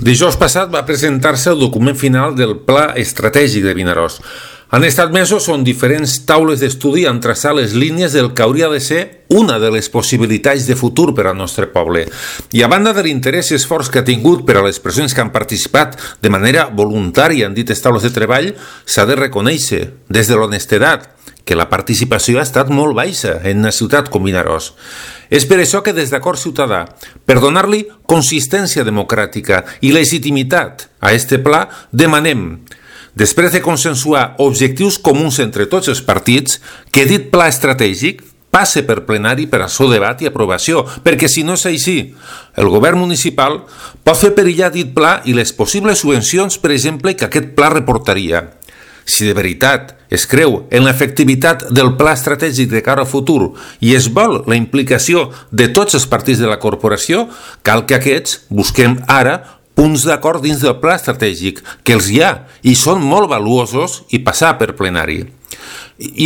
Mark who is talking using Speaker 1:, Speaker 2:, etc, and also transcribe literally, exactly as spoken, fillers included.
Speaker 1: Dijous passat va presentar-se el document final del Pla Estratègic de Vinaròs. Han estat mesos on diferents taules d'estudi han traçat les línies del que hauria de ser una de les possibilitats de futur per al nostre poble. I a banda de l'interès i esforç que ha tingut per a les persones que han participat de manera voluntària en dites taules de treball, s'ha de reconèixer, des de l'honestedat, que la participació ha estat molt baixa en una ciutat com Vinaròs. És per això que des d'Acord Ciutadà, per donar-li consistència democràtica i legitimitat a este pla, demanem, després de consensuar objectius comuns entre tots els partits, que dit pla estratègic passe per plenari per al seu debat i aprovació, perquè si no és així, el govern municipal pot fer perillar dit pla i les possibles subvencions, per exemple, que aquest pla reportaria. Si de veritat es creu en l'efectivitat del pla estratègic de cara al futur i es vol la implicació de tots els partits de la corporació, cal que aquests busquem ara punts d'acord dins del pla estratègic, que els hi ha i són molt valuosos i passar per plenari. I